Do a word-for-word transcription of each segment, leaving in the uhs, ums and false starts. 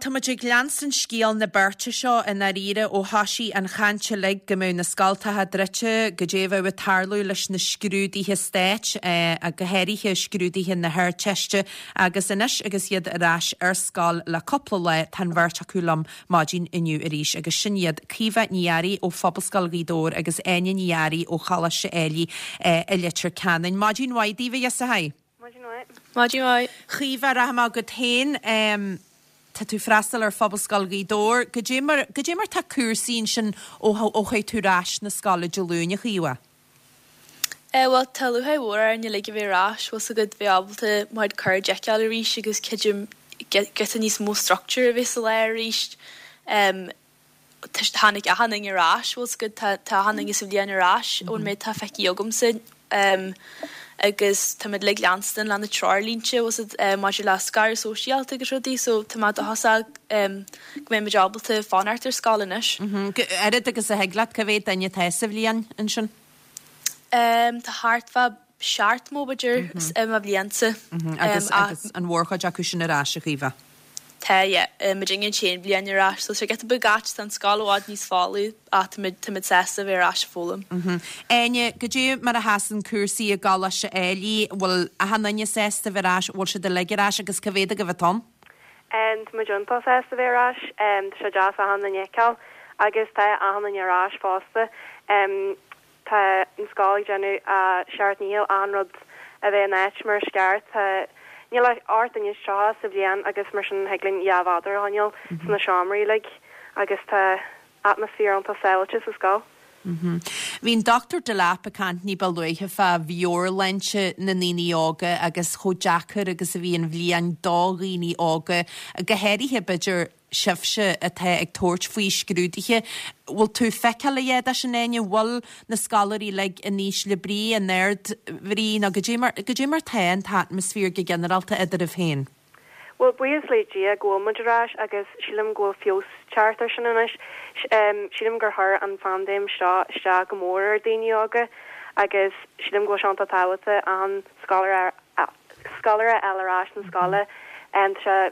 tá muid ag leanstan scéal na beirte seo i ndáiríre ó thoisigh an chaint uilig go mbeadh na scoltacha druidte, goidé a bheadh ag tarlú leis na scrúduithe stáit, go háirithe scrúduithe na hArdteiste, agus anois agus iad ar ais ar scoil le cúpla lá, tá an bheirt acu liom maidin inniu arís, agus sin iad Caoimhe Ní Fhearraigh ó Phobalscoil Ghaoth Dobhair agus Áine Ní Fhearraigh ó Choláiste Ailigh i Leitir Ceanainn. Maidin mhaith daoibh, a ghirseachaí. Maidin mhaith. Maidin mhaith. Caoimhe, rachaidh mé chugat féin. Tá tú freastal ar Phobalscoil Ghaoth Dobhair. Goidé mar, goidé mar tá cúrsaí ansin ó ó chuaigh tú ar ais na scoile Dé Luain, a Chaoimhe? Eh bhuel tá lúcháir mhór orainn uilig a bheith ar ais, bhfuil 's agat bheith ábalta mo chuid cairde a fheiceáil arís agus creidim giota níos mó structure a bheith sa lá arís. Em tháinig achan duine ar ais, bhfuil 's agat, tá tá achan duine sa bhliain ar ais ón méid atá feicthe agamsa agus táimid uilig leanstan le na treoirlínte, bhfuil 's agat, maidir le scaradh sóisialta agus rudaí so tá mé dóchasach go mbeidh muid ábalta fanacht ar scoil anois. Oiread agus a thig leat, cá mhéad duine atá sa bhliain ansin? Tá thart fá seachtó b'fhéidir i mo bhliainsa. Agus agus an mhórchuid acu sin ar ais, a Chaoimhe? Tá, yeah. Muidinne an t-aon bhliain ar ais, so tá sé giota beag ait, tá an scoil i bhfad níos folamh ach táimid, táimid sásta a bheith ar ais ag foghlaim. Áine, goidé mar a sheasann cúrsaí i gColáiste Ailigh, bhfuil achan duine sásta a bheith ar ais, bhfuil siad uilig ar ais agus cá mhéad agaibh atá ann? Tá muid iontach sásta a bheith ar ais, tá sé deas achan duine a fheiceáil agus tá achan duine ar ais fosta. Tá an scoil ag déanamh a seacht ndícheall achan rud a bheith in áit mar is ceart. Tá, níl ach ocht nduine is tríocha sa bhliain agus mar sin thig linn dhá mhéadar a choinneáil sna seomraí uilig agus tá atmaisféar iontach sábháilte sa scoil. Bhí an Dochtúir Delap ag caint ní ba luaithe fá mheabhairshláinte na ndaoine óga agus chomh deacair agus a bhí an bhliain do dhaoine óga, go háirithe b'fhéidir sibhse atá ag tabhairt faoi scrúduithe. Bhfuil tú feiceáil a dhath de sin, Áine? Bhfuil na scoláirí uilig in ísle brí, in ardbhrí, nó goidé mar, goidé mar tá an t-atmaisféar go ginearálta eadraibh féin? Bhuel, buíochas le Dia go bhfuil muid ar ais agus sílim go bhfuil feabhas teacht ar sin anois. Sílim gur chuir an phaindéim seo isteach go mór ar daoine óga agus sílim go bhfuil sé iontach tábhachtach achan scoláire scoláire a fháil ar ais na scoile. Tá sé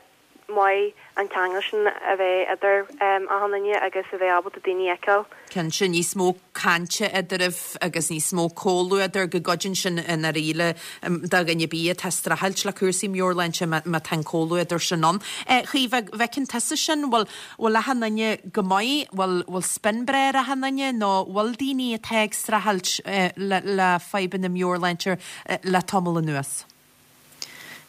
maith an ceangal sin a bheith idir achan duine agus a bheith ábalta daoine a fheiceáil. Cinnte, níos mó cainte eadraibh agus níos mó comhluadair, go gcuidíonn sin i ndáiríre do dhuine ar bith atá ag streachailt le cúrsaí meabhairshláinte má tá an comhluadar sin ann. Chaoimhe, an bhfeiceann tusa sin, bhfuil bhfuil achan duine go maith, bhfuil bhfuil spion breá ar achan duine nó bhfuil daoine atá ag streachailt le le fadhbanna meabhairshláinte le tamall anuas?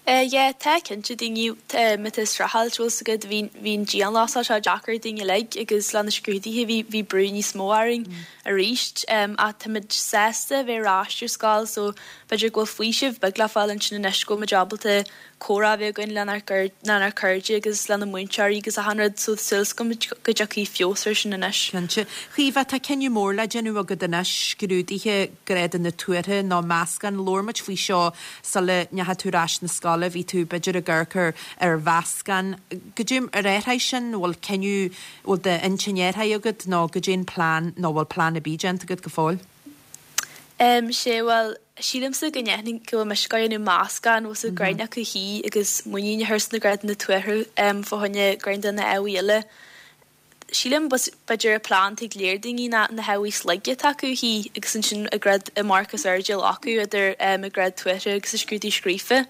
Eh yeah, tá cinnte daoine atá ag streachailt, bhfuil 's agat, bhí bhí an dianghlasáil seo deacair dúinn uilig agus le na scrúduithe bhí bhí brú níos mó orainn arís. Ach táimid sásta a bheith ar ais ar scoil so b'fhéidir go bhfuil faoiseamh beag le fáil ansin anois go bhfuil muid ábalta comhrá a bheith againn lenár lenár cairde agus lena múinteoirí agus achan rud so súil agam go dtiocfaidh feabhas ar sin anois. Cinnte. Chaoimhe, tá cinneadh mór le déanamh agat anois, scrúduithe grádanna tuartha nó meascán. Labhair muid faoi seo sula ndeachaigh tú ar ais na scoile, bhí tú b'fhéidir ag amharc ar ar mheascán. Goidé ar athraigh sin, bhfuil cinneadh, bhfuil d'intinn athraithe agat nó goidé an plean nó bhfuil plean ar bith déanta agat go fóill? Em, sé, bhuel, sílimse go ndéanfainn go bhfuil mise ag déanamh meascán, bhfuil 's agat greim acu thí agus muinín a chur sna grádanna tuartha em fá choinne greim de na hábhair eile. Sílim b'fhéidir an plean atá ag léir daoine ná na hábhair slige atá acu thí agus ansin a grád a marc is airde a ghlacadh idir em a grád tuartha agus a scrúdú scríofa.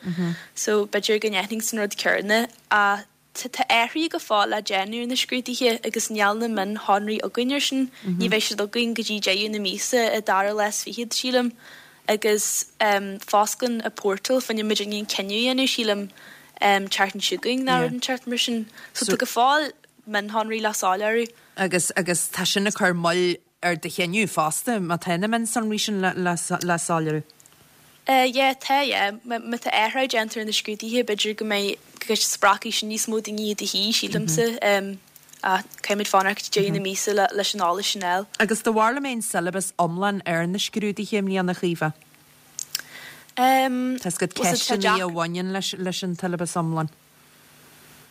So b'fhéidir go ndéanfainn san rud céanna ach Tá athruithe go fóill le déanamh ar na scrúduithe agus níl na mionshonraí againn air sin. Ní bheidh siad againn go dtí deireadh na míosa, an dara lá is fichead, sílim. Agus fosclaíonn an portal fá choinne muidinne an cinneadh a dhéanamh, sílim, an tseachtain seo chugainn nó rud inteacht mar sin. So tá go fóill mionshonraí le soiléiriú. Agus agus tá sin ag cur moill ar do chinneadh fosta, má tá na mionsonraí sin le le soiléiriú. Eh yeah, tá, yeah. Má tá athrú déanta ar na scrúduithe, b'fhéidir go mbeidh, go spreagfaidh sin níos mó daoine iad a shuí, sílimse. Ach caithfimid fanacht deireadh na míosa leis an eolas sin a fháil. Agus do bharúil an mbeidh an syllabus iomlán ar na scrúduithe i mbliana, a Chaoimhe? Tá 's agat ceisteanna a bhaineann leis leis an tsiollabas iomlán.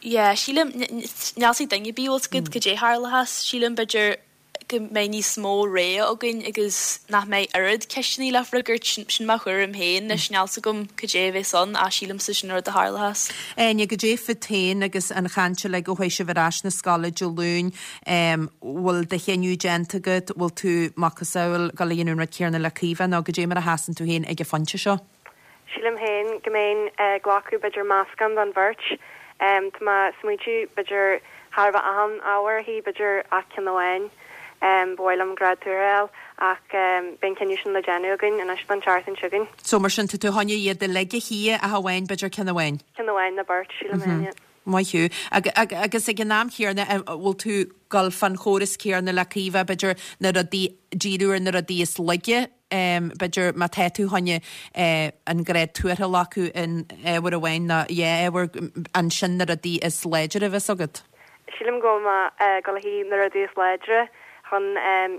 Yeah, sílim, níl 's ag duine ar bith, bhfuil 's agat, cad é a tharlóchas. Sílim, b'fhéidir, go mbeidh níos mó rogha againn agus nach mbeidh oiread ceisteanna le freagairt, sin mo thuairim féin, anois níl 's agam cad é a bheas ann ach sílimse sin an rud a tharlóchas. Áine, goidé fút féin agus an chaint uilig ó chuaigh sibh ar ais na scoile Dé Luain, bhfuil do chinneadh déanta agat, bhfuil tú macasamhail dul a dhéanamh an rud céanna le Caoimhe nó goidé mar a sheasann tú féin ag an phointe seo? Sílim féin go mbeinn ag glacadh b'fhéidir meascán den bheirt. Tá mé ag smaointiú b'fhéidir char bheith achan ábhar a shuí, b'fhéidir ach ceann amháin. Ba mhaith liom grád tuartha a fháil ach beidh an cinneadh sin le déanamh againn anois don tseachtain seo chugainn. So mar sin tá tú chun iad uilig a shuí ach amháin b'fhéidir ceann amháin? Ceann amháin nó beirt, sílim féin, yeah. Maith thú. Agus ag an am chéanna, an bhfuil tú dul fán chóras céanna le Caoimhe, b'fhéidir na rudaí, díriú ar na rudaí is laige, b'fhéidir má tá tú chun an grád tuartha a ghlacadh in ábhar amháin nó dhá ábhar, ansin na rudaí is láidre a bheas agat? Sílim go bhfuil mé ag dul a shuí na rudaí is láidre chun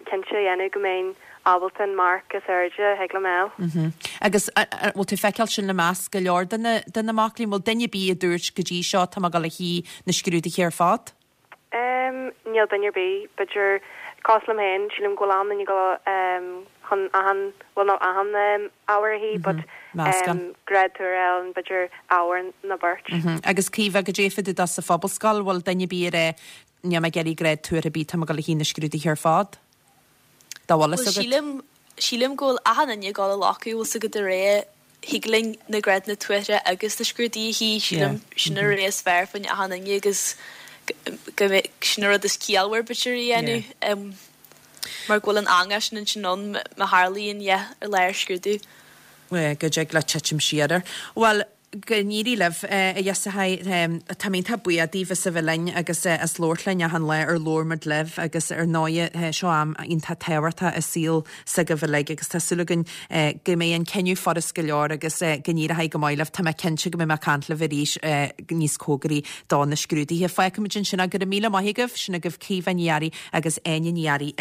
cinnte a dhéanamh go mbeinn ábalta an marc is airde a thig liom a fháil. Agus an bhfuil tú ag feiceáil sin i measc go leor de na de na mac léinn? Bhfuil duine ar bith a dúirt go dtí seo tá mé ag dul a shuí na scrúduithe ar fad? Níl duine ar bith, b'fhéidir, cosúil liom féin, sílim go bhfuil an-duine ag dul chun achan, bhuel not achan ábhar a shuí but grád tuartha a fháil b'fhéidir ábhar nó beirt. Agus Caoimhe, goidé fá dtaobh de sa phobalscoil, bhfuil duine ar bith ag rá níl mé ag iarraidh grád tuartha ar bith, tá mé ag dul a shuí na scrúduithe ar fad? Dá bhfuil fhios Bhuel agat. sílim, sílim go bhfuil achan duine ag dul a ghlacadh, bhfuil 's agat de réir thig linn na grádanna tuartha agus na scrúduithe a shuí, sílim sin an rogha is fearr fá choinne achan duine agus go mbeidh, sin an rud is ciallmhar b'fhéidir a dhéanamh mar go bhfuil an eangach sin ansin ann má tharlaíonn yeah ar lá ar scrúdú. Go dtig leat titim siar air. Bhuel, Go n-éirí libh, a ghirseachaí. Tá mé iontach buíoch daoibh as a bheith linn agus as labhairt linn achan lá ar Labhair Muid Libh agus ar ndóighe seo am iontach tábhachtach i saol s'agaibh uilig agus tá súil againn go mbeidh an cinneadh furast go leor agus go n-éireoidh go maith libh. Tá mé cinnte go mbeidh mé ag caint libh arís níos cóngaraí do na scrúduithe. Fágfaimid ansin é. Go raibh míle maith agaibh. Sin agaibh Caoimhe Ní Fhearraigh agus Áine Ní Fhearraigh.